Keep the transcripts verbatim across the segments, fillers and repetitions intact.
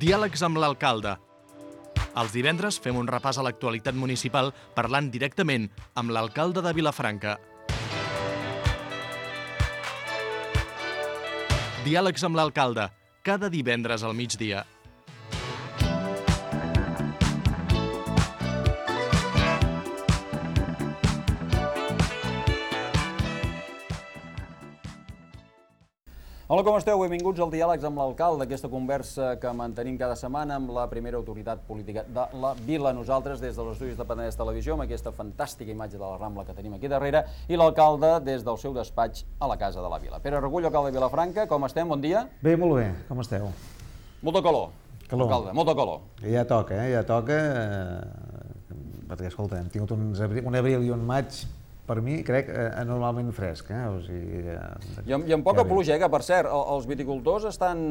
Diàlegs amb l'alcalde. Els divendres fem un repàs a l'actualitat municipal parlant directament amb l'alcalde de Vilafranca. Diàlegs amb l'alcalde, cada divendres al migdia. Hola, com esteu? Benvinguts al Diàlegs amb l'alcalde, aquesta conversa que mantenim cada setmana amb la primera autoritat política de la vila. Nosaltres, des dels estudis de Penedès Televisió, amb aquesta fantàstica imatge de la Rambla que tenim aquí darrere, i l'alcalde des del seu despatx a la Casa de la Vila. Pere Regullo, alcalde de Vilafranca, com estem? Bon dia. Bé, molt bé. Com esteu? Molta calor. Calor. Alcalde, molta calor. Ja toca, eh? Ja toca, eh, perquè, escolta, hem tingut uns abril, un abril i un maig, per mi, crec, anormalment fresc. Eh? O sigui, eh, I amb, i amb poca pluja, eh? Que per cert, els viticultors estan...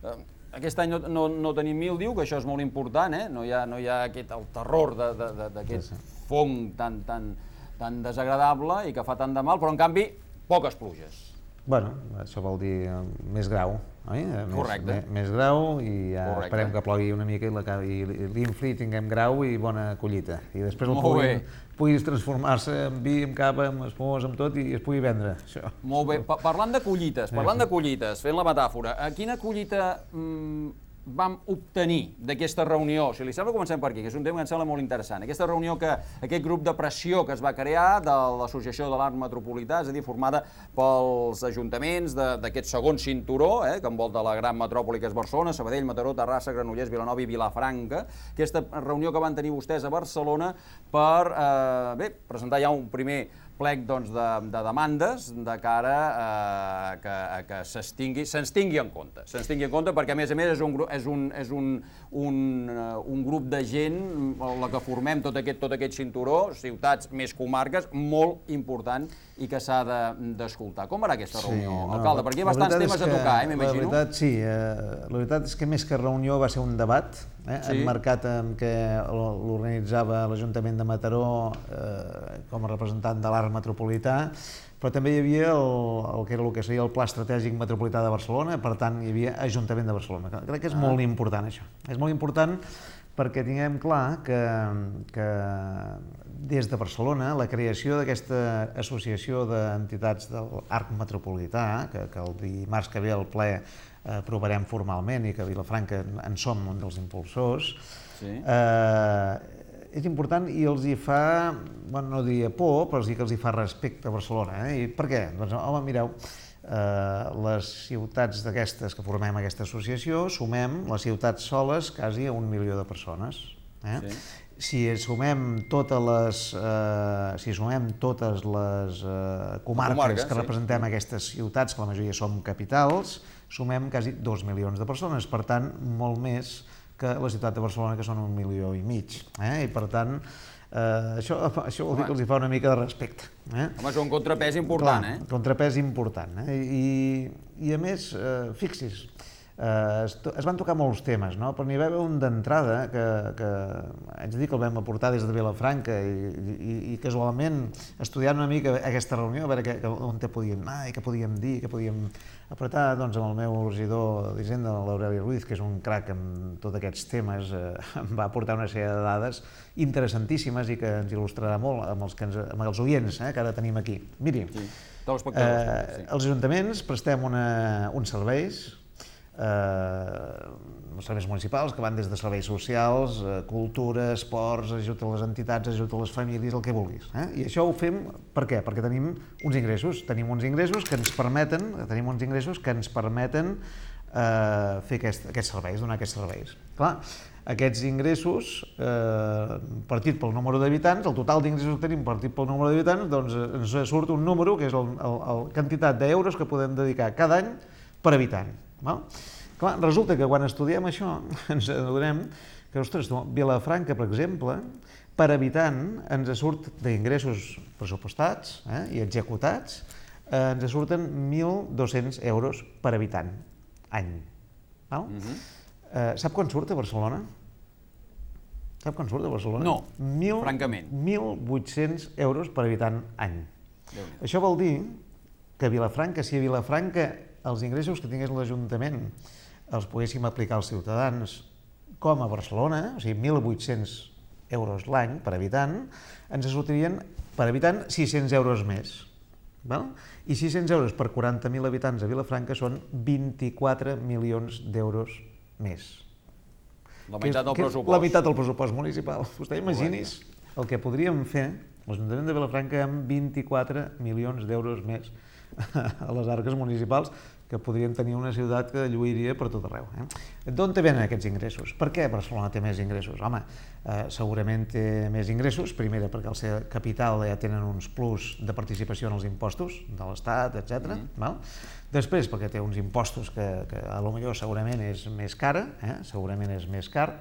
Eh, aquest any no, no, no tenim mildiu, que això és molt important, eh? No hi ha, no hi ha aquest, el terror d'aquest sí, sí. fong tan, tan, tan desagradable i que fa tant de mal, però en canvi, poques pluges. Bueno, això vol dir més grau, oi? Correcte. Més, més grau i ja Correcte. Esperem que plogui una mica i l'infli tinguem grau i bona collita. I després el puguin, puguis transformar-se en vi, en cava, en espumós, en tot i es pugui vendre, això. Molt bé. Pa parlant de collites, parlant de collites, fent la metàfora, a quina collita mmm, vam obtenir d'aquesta reunió? Si li sembla, comencem per aquí, que és un tema que em sembla molt interessant. Aquesta reunió, que aquest grup de pressió que es va crear de l'Associació de l'Art Metropolità, és a dir, formada pels ajuntaments d'aquest segon cinturó, eh, que envolta la gran metròpoli que és Barcelona, Sabadell, Mataró, Terrassa, Granollers, Vilanova i Vilafranca. Aquesta reunió que van tenir vostès a Barcelona per eh, bé, presentar ja un primer plec doncs, de, de demandes de cara a que, a que se'ns tingui, se'ns tingui en compte. Se'ns tingui en compte perquè, a més a més, és un, és un, és un, un, un grup de gent, la que formem tot aquest, tot aquest cinturó, ciutats més comarques, molt important i que s'ha d'escoltar. Com va aquesta reunió, sí, no, alcalde? Perquè hi ha bastants temes que, a tocar, eh, m'imagino. La veritat, sí. Eh, la veritat és que més que reunió va ser un debat, eh, sí. emmarcat en què l'organitzava l'Ajuntament de Mataró eh, com a representant de l'art metropolità, però també hi havia el, el que era el que seria el Pla Estratègic Metropolità de Barcelona, per tant hi havia Ajuntament de Barcelona. Crec que és ah. molt important això. És molt important perquè tinguem clar que, que des de Barcelona la creació d'aquesta associació d'entitats de l'Arc Metropolità, que, que el dimarts que ve al ple aprovarem formalment i que a Vilafranca en som un dels impulsors, sí. eh, és important i els hi fa, bueno, no diria por, però sí que els hi fa respecte a Barcelona. Eh? I per què? Doncs, home, mireu, eh, les ciutats d'aquestes que formem aquesta associació, sumem les ciutats soles quasi a un milió de persones. Eh? Sí. Si sumem totes les, eh, si sumem totes les eh, comarques Comarca, que sí. representem aquestes ciutats, que la majoria som capitals, sumem quasi dos milions de persones, per tant, molt més que la ciutat de Barcelona, que són un milió i mig. Eh? I per tant, eh, això, això vol dir que els hi fa una mica de respecte. Eh? Home, és un contrapès important, Clar, eh? Un contrapès important. Eh? I, I a més, eh, fixis, eh, es, es van tocar molts temes, no? Però n'hi va haver un d'entrada que, que haig de dir que el vam aportar des de Vilafranca i, i, i casualment, estudiant una mica aquesta reunió, a veure que, que, on te podíem anar i què podíem dir, què podíem apretar, doncs, amb el meu regidor d'Hisenda, l'Aureli Ruiz, que és un crac en tots aquests temes, eh, em va aportar una sèrie de dades interessantíssimes i que ens il·lustrarà molt amb els, que ens, amb els oients eh, que ara tenim aquí. Miri, sí. eh, sí. els ajuntaments prestem una, uns serveis, eh, serveis municipals que van des de serveis socials, eh, cultura, esports, ajut a les entitats, ajut a les famílies, el que vulguis. Eh? I això ho fem per què? Perquè tenim uns ingressos, tenim uns ingressos que ens permeten, tenim uns ingressos que ens permeten eh, fer aquest, aquests serveis, donar aquests serveis. Clar, aquests ingressos, eh, partit pel número d'habitants, el total d'ingressos que tenim partit pel número d'habitants, doncs ens surt un número que és la quantitat d'euros que podem dedicar cada any per habitant. Val? Clar, resulta que quan estudiem això ens adonem que, ostres, Vilafranca, per exemple, per habitant ens surt d'ingressos pressupostats eh, i executats, eh, ens surten mil dos-cents euros per habitant any. Val? Uh-huh. eh, sap quan surt a Barcelona? Sap quan surt a Barcelona? No, mil, francament. mil vuit-cents euros per habitant any. Això vol dir que a Vilafranca, si a Vilafranca els ingressos que tingués l'Ajuntament els poguéssim aplicar als ciutadans com a Barcelona, o sigui, mil vuit-cents euros l'any per habitant, ens sortirien per habitant sis-cents euros més. Val? I sis-cents euros per quaranta mil habitants a Vilafranca són vint-i-quatre milions d'euros més. La meitat del pressupost. La meitat del pressupost municipal. Vostè imagini's el que podríem fer l'Ajuntament de Vilafranca amb vint-i-quatre milions d'euros més a les arques municipals, que podrien tenir una ciutat que lluiria per tot arreu. Eh? D'on te venen aquests ingressos? Per què Barcelona té més ingressos? Home, eh, segurament té més ingressos, primera perquè al ser capital ja tenen uns plus de participació en els impostos de l'Estat, etcètera. Mm. Després perquè té uns impostos que, que a lo millor segurament és més cara, eh? segurament és més car.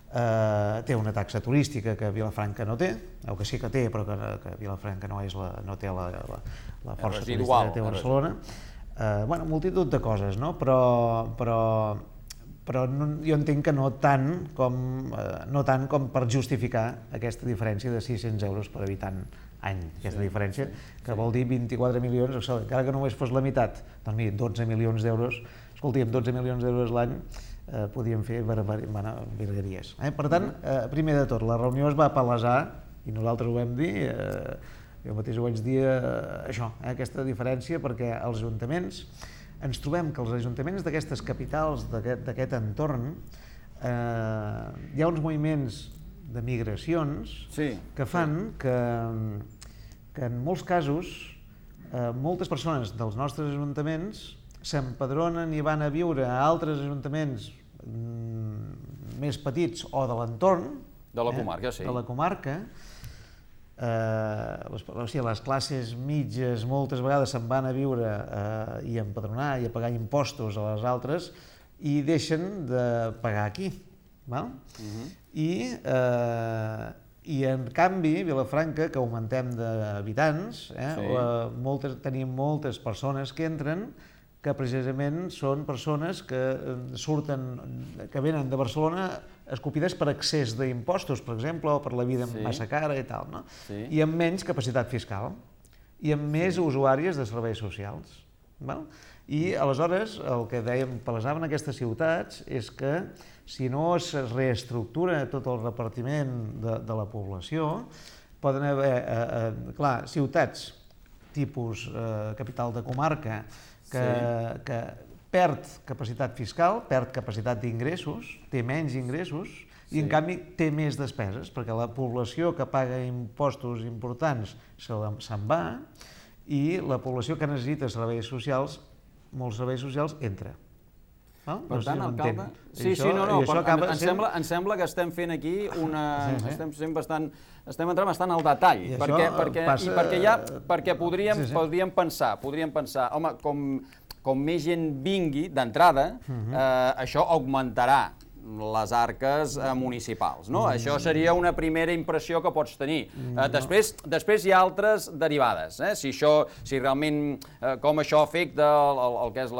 Uh, té una taxa turística que Vilafranca no té, o que sí que té, però que, que Vilafranca no, és la, no té la, la, la força turística que té Barcelona. Uh, bueno, multitud de coses, no? Però, però, però no, jo entenc que no tant, com, uh, no tant com per justificar aquesta diferència de sis-cents euros per habitant any. Aquesta sí, diferència, sí, que sí. Vol dir vint-i-quatre milions, encara que només fos la meitat, doncs mira, dotze milions d'euros, escolti, amb dotze milions d'euros l'any, Eh, podíem fer virgueries. Eh? Per tant, eh, primer de tot, la reunió es va palesar, i nosaltres ho vam dir, eh, jo mateix ho vaig dir, eh, això, eh, aquesta diferència, perquè els ajuntaments, ens trobem que els ajuntaments d'aquestes capitals, d'aquest entorn, eh, hi ha uns moviments de migracions sí, que fan sí. que, que en molts casos eh, moltes persones dels nostres ajuntaments s'empadronen i van a viure a altres ajuntaments mm, més petits o de l'entorn. De la comarca, eh? sí. De la comarca. Eh, les, o sigui, les classes mitges moltes vegades se'n van a viure eh, i a empadronar i a pagar impostos a les altres i deixen de pagar aquí. Val? Uh-huh. I, eh, I en canvi, Vilafranca, que augmentem d'habitants, eh, sí. eh, moltes, tenim moltes persones que entren que precisament són persones que surten, que venen de Barcelona escopides per excés d'impostos, per exemple, o per la vida sí. massa cara i tal, no? Sí. I amb menys capacitat fiscal, i amb més sí. usuàries de serveis socials. Val? I aleshores el que dèiem, palesaven aquestes ciutats, és que si no es reestructura tot el repartiment de, de la població, poden haver, eh, eh, clar, ciutats tipus eh, capital de comarca, que, sí. que perd capacitat fiscal, perd capacitat d'ingressos, té menys ingressos sí. i en canvi té més despeses, perquè la població que paga impostos importants se'n va i la població que necessita serveis socials, molts serveis socials, entra. No? Per no tant, si alcalde... Sí, això, sí, no, no, per, acaba, em, em, sembla, em sembla que estem fent aquí una... Sí, sí. Estem sent bastant... Estem entrant bastant al detall, I perquè, perquè, passa... i perquè, ja, perquè podríem, sí, sí. podríem pensar, podríem pensar, home, com, com més gent vingui d'entrada, uh-huh. eh, això augmentarà les arques eh, municipals, no? Mm. Això seria una primera impressió que pots tenir. Mm, eh, després, no. després hi ha altres derivades, eh? Si això, si realment, eh, com això afecta el, el, el que és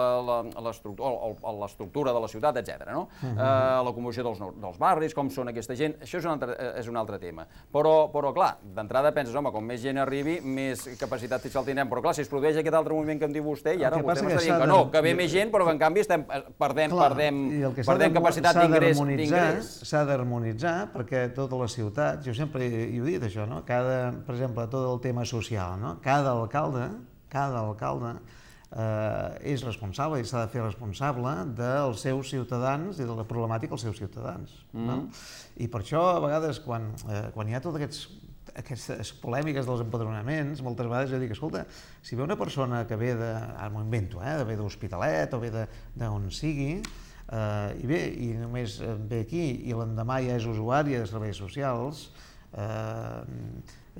l'estructura de la ciutat, etcètera, no? Mm -hmm. eh, la composició dels, dels barris, com són aquesta gent, això és un altre, és un altre tema. Però, però clar, d'entrada penses, home, com més gent arribi, més capacitat fiscal tindrem, però clar, si es produeix aquest altre moviment que em diu vostè, i ara vostè m'està dient que no, que ve més gent, però que en canvi estem, perdem, clar, perdem, perdem capacitat d'ingrés. S'ha d'harmonitzar perquè totes les ciutats, jo sempre he, he dit això, no? Cada, per exemple, tot el tema social, no? Cada alcalde, cada alcalde eh, és responsable i s'ha de fer responsable dels seus ciutadans i de la problemàtica dels seus ciutadans. Mm. No? I per això, a vegades, quan, eh, quan hi ha tots aquests aquestes polèmiques dels empadronaments, moltes vegades jo dic, escolta, si ve una persona que ve de, ara m'ho invento, eh, ve d'Hospitalet o ve d'on sigui, Uh, i bé, i només ve aquí i l'endemà ja és usuària de serveis socials, uh,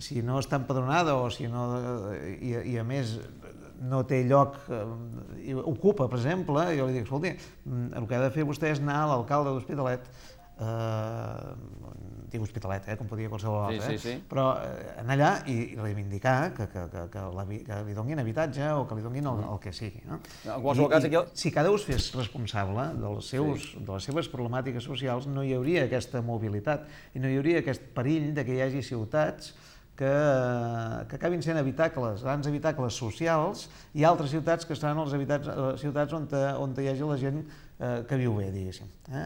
si no està empadronada o si no, i, i a més no té lloc, uh, ocupa, per exemple, jo li dic, escolti, el que ha de fer vostè és anar a l'alcalde d'Hospitalet, uh, dic Hospitalet, eh, com podia qualsevol altre, sí, sí, sí. Eh? Però eh, anar allà i reivindicar que, que, que, que, la, que li donin habitatge o que li donin el, el que sigui. No? En qualsevol cas, aquí... El... Si cada un fes responsable dels seus, sí. de les seves problemàtiques socials, no hi hauria aquesta mobilitat i no hi hauria aquest perill de que hi hagi ciutats que, que acabin sent habitacles, grans habitacles socials, i altres ciutats que seran les habitats, ciutats on, te, on hi hagi la gent eh, que viu bé, diguéssim. Eh?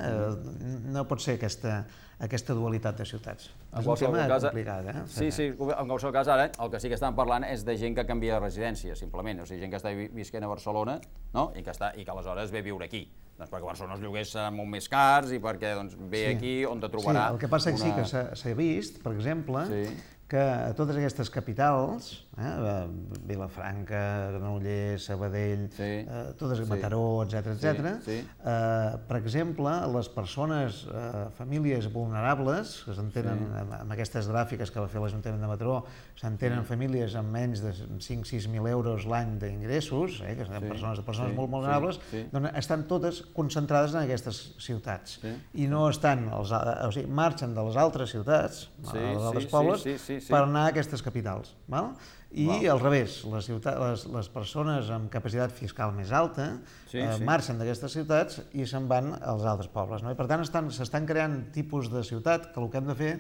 No pot ser aquesta, aquesta dualitat de ciutats. És un tema complicat, eh? Sí, sí, en qualsevol cas ara el que sí que estan parlant és de gent que canvia de residència, simplement, o sigui, gent que està visquent a Barcelona, no? I, que està, i que aleshores ve a viure aquí. Doncs perquè a Barcelona els lloguers seran molt més cars i perquè doncs, ve sí. aquí on te trobarà... Sí, el que passa una... que sí que s'ha vist, per exemple, sí. que a totes aquestes capitals, eh, Vilafranca, Granollers, Sabadell, sí. eh, totes, sí. Mataró, etcètera, etcètera, sí. sí. eh, per exemple, les persones, eh, famílies vulnerables, que s'entenen sí. amb, amb aquestes gràfiques que va fer l'Ajuntament de Mataró, s'entenen sí. famílies amb menys de cinc sis mil euros l'any d'ingressos, eh, que són sí. persones, persones sí. molt vulnerables, sí. Sí. doncs estan totes concentrades en aquestes ciutats. Sí. I no estan, els, o sigui, marxen de les altres ciutats, sí. dels altres sí. pobles, sí. Sí. Sí. per anar a aquestes capitals. Val? I wow. al revés, les, ciutats, les, les persones amb capacitat fiscal més alta sí, eh, sí. marxen d'aquestes ciutats i se'n van als altres pobles. No? I per tant s'estan creant tipus de ciutat que el que hem de fer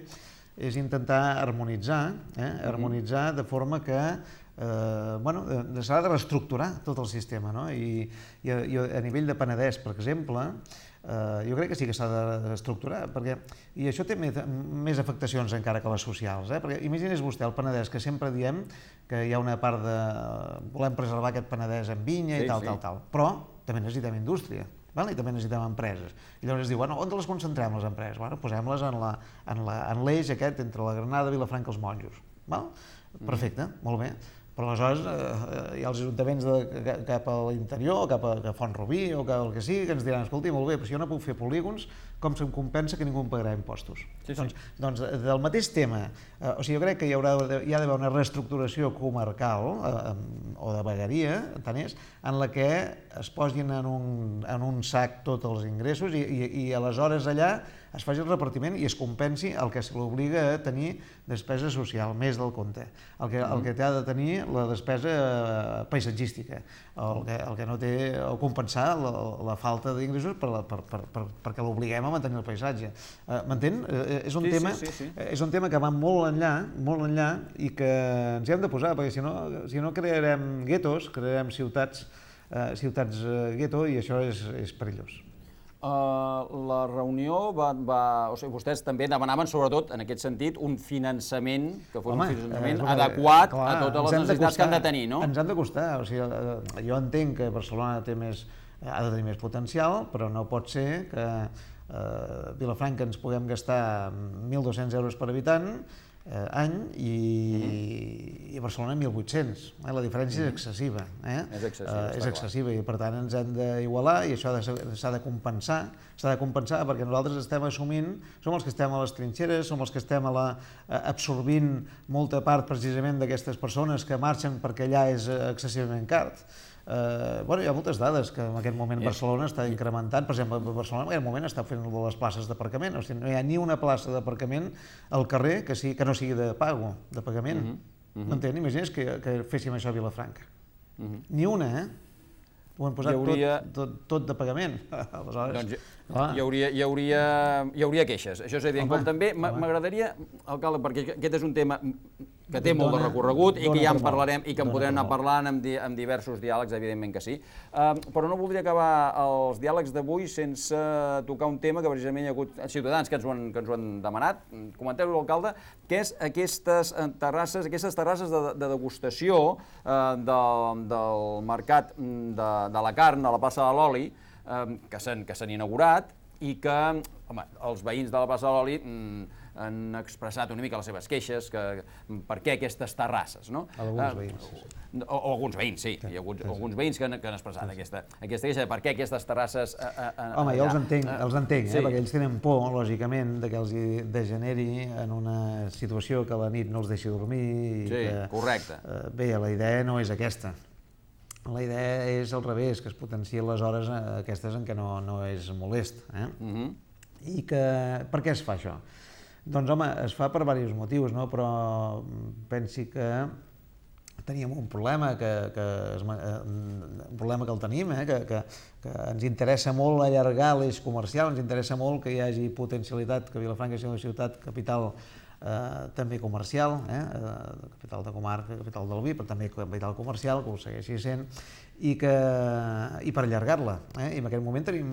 és intentar harmonitzar, eh? harmonitzar de forma que eh, bueno, s'ha de reestructurar tot el sistema. No? I, i, I a nivell de Penedès, per exemple, Uh, jo crec que sí que s'ha d'estructurar, perquè, i això té més, més afectacions encara que les socials, eh? Perquè imagini's vostè el Penedès, que sempre diem que hi ha una part de... volem preservar aquest Penedès amb vinya sí, i tal, sí. tal, tal, però també necessitem indústria, val? I també necessitem empreses. I llavors es diu, bueno, on les concentrem les empreses? Bueno, posem-les en l'eix en la, en l'eix aquest entre la Granada, Vilafranca i els Monjos. Val? Perfecte, mm. molt bé. Però aleshores eh, hi ha els ajuntaments de, cap a l'interior, cap a, a Font-rubí o cap al que sigui, que ens diran, escolti, molt bé, però si jo no puc fer polígons, com se'm compensa que ningú em pagarà impostos? Sí, sí. Doncs, doncs del mateix tema, eh, o sigui, jo crec que hi haurà hi ha d'haver una reestructuració comarcal eh, o de vegueria, tant és, en la que es posin en un, en un sac tots els ingressos i, i, i aleshores allà es faci el repartiment i es compensi el que se l'obliga a tenir despesa social, més del compte. El que, el que té de tenir la despesa paisatgística, el que, el que no té, o compensar la, la falta d'ingressos per, per, per, per, perquè l'obliguem a mantenir el paisatge. Uh, M'entén? Uh, és, un sí, tema, sí, sí, sí. és un tema que va molt enllà, molt enllà i que ens hi hem de posar, perquè si no, si no crearem guetos, crearem ciutats, uh, ciutats uh, gueto i això és, és perillós. Uh, la reunió va, va... O sigui, vostès també demanaven, sobretot, en aquest sentit, un finançament que fos Home, un finançament eh, adequat clar, a totes les necessitats costar, que han de tenir, no? Ens han de costar. O sigui, jo entenc que Barcelona té més, ha de tenir més potencial, però no pot ser que a eh, Vilafranca ens puguem gastar mil dos-cents euros per habitant eh, any i, mm-hmm. i a Barcelona mil vuit-cents. Eh? La diferència mm-hmm. és excessiva. Eh? És excessiva, eh, és excessiva i per tant ens hem d'igualar i això s'ha de compensar, s'ha de compensar perquè nosaltres estem assumint, som els que estem a les trinxeres, som els que estem a la, absorbint molta part precisament d'aquestes persones que marxen perquè allà és excessivament car. Uh, bueno, hi ha moltes dades que en aquest moment Barcelona està incrementant. Per exemple, Barcelona en aquest moment està fent les places d'aparcament, o sigui, no hi ha ni una plaça d'aparcament al carrer que, sigui, que no sigui de pago, de pagament. Uh-huh. M'entén? Imagina't que, que féssim això a Vilafranca. Uh-huh. Ni una, eh? Ho hem posat hauria... tot, tot, tot de pagament. Aleshores, doncs, hi, hauria, hi, hauria, hi hauria queixes, això és evident. Com també m'agradaria, alcalde, perquè aquest és un tema que té molt de recorregut i que ja en parlarem i que en podrem anar parlant amb, di amb diversos diàlegs, evidentment que sí. Uh, però no voldria acabar els diàlegs d'avui sense tocar un tema que precisament hi ha hagut ciutadans que ens ho han, que ens ho han demanat. Comenteu-ho, alcalde, que és aquestes terrasses, aquestes terrasses de, de degustació uh, de, del mercat de, de la carn a la plaça de l'Oli, uh, que s'han inaugurat i que, home, els veïns de la plaça de l'Oli mm, han expressat una mica les seves queixes, que per què aquestes terrasses, no? Alguns veïns. O, o alguns veïns, sí, hi ha alguns, alguns veïns que han, que han expressat sí. aquesta, aquesta queixa de per què aquestes terrasses... A, a, a, Home, jo els entenc, els entenc sí. eh, perquè ells tenen por, lògicament, de que els degeneri en una situació que a la nit no els deixi dormir i sí, que... correcte. Eh, bé, la idea no és aquesta. La idea és al revés, que es potenciïn les hores aquestes en què no, no és molest. Eh? Uh-huh. I que... Per què es fa això? Doncs, home, es fa per diversos motius, no? Però pensi que teníem un problema, que, que es, un problema que el tenim, eh? que, que, que ens interessa molt allargar l'eix comercial, ens interessa molt que hi hagi potencialitat, que Vilafranca sigui una ciutat capital també comercial, capital de comarca, capital del vi, però també capital comercial, que ho segueixi sent, i per allargar-la. I en aquest moment tenim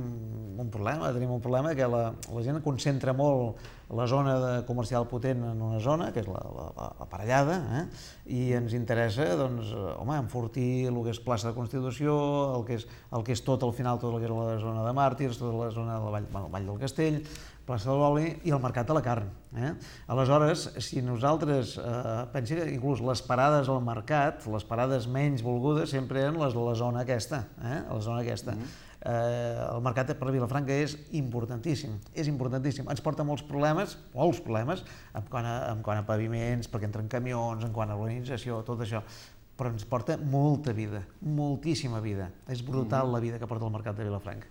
un problema, tenim un problema que la gent concentra molt la zona comercial potent en una zona, que és l'aparellada, i ens interessa, doncs, home, enfortir el que és plaça de Constitució, el que és tot al final, tot el que és la zona de Màrtirs, tota la zona del Vall del Castell, plaça de l'Oli i el mercat de la carn. Aleshores, si nosaltres, pensi que inclús les parades al mercat, les parades menys volgudes, sempre eren les de la zona aquesta, la zona aquesta. El mercat per Vilafranca és importantíssim, és importantíssim. Ens porta molts problemes, molts problemes, en quant a paviments, perquè entren camions, en quant a urbanització, tot això, però ens porta molta vida, moltíssima vida. És brutal la vida que porta el mercat de Vilafranca.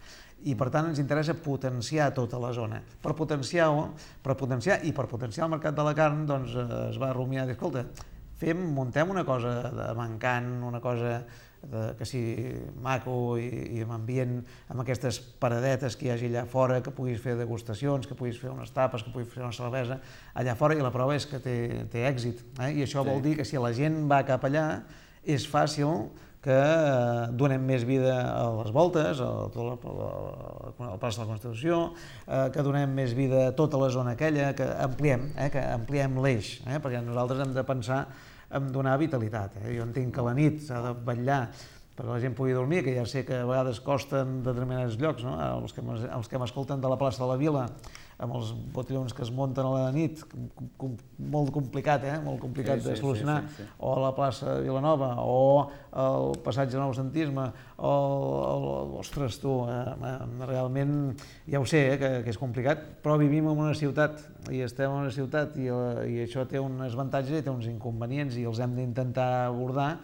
I per tant ens interessa potenciar tota la zona. Per potenciar-ho, per potenciar i per potenciar el mercat de la carn, doncs es va rumiar dir, escolta, fem, muntem una cosa de mancant, una cosa que sigui maco i amb ambient, amb aquestes paradetes que hi hagi allà fora, que puguis fer degustacions, que puguis fer unes tapes, que puguis fer una cervesa allà fora, i la prova és que té èxit. I això vol dir que si la gent va cap allà, és fàcil que donem més vida a les voltes, a la plaça de la Constitució, que donem més vida a tota la zona aquella, que ampliem, que ampliem l'eix, perquè nosaltres hem de pensar en donar vitalitat. Jo entenc que la nit s'ha de vetllar perquè la gent pugui dormir, que ja sé que a vegades costa en determinats llocs, els que m'escolten de la plaça de la Vila, amb els botellons que es munten a la nit, molt complicat, eh? Molt complicat de solucionar, o a la plaça de Vilanova, o al passatge de noucentisme, o, ostres, tu, realment, ja ho sé, que és complicat, però vivim en una ciutat, i estem en una ciutat, i això té uns avantatges i té uns inconvenients, i els hem d'intentar abordar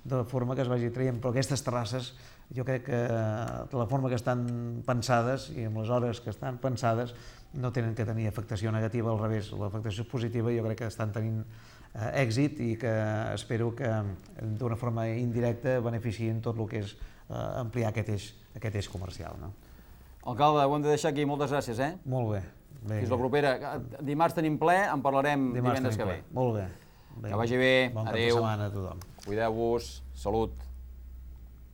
de forma que es vagi traient, però aquestes terrasses, jo crec que de la forma que estan pensades i amb les hores que estan pensades no tenen que tenir afectació negativa, al revés, l'afectació positiva jo crec que estan tenint èxit i que espero que d'una forma indirecta beneficien tot el que és ampliar aquest eix comercial. Alcalde, ho hem de deixar aquí, moltes gràcies. Molt bé. Fins la propera. Dimarts tenim ple, en parlarem divendres que ve. Molt bé. Que vagi bé, bon adéu. Bon cap de setmana a tothom. Cuideu-vos, salut.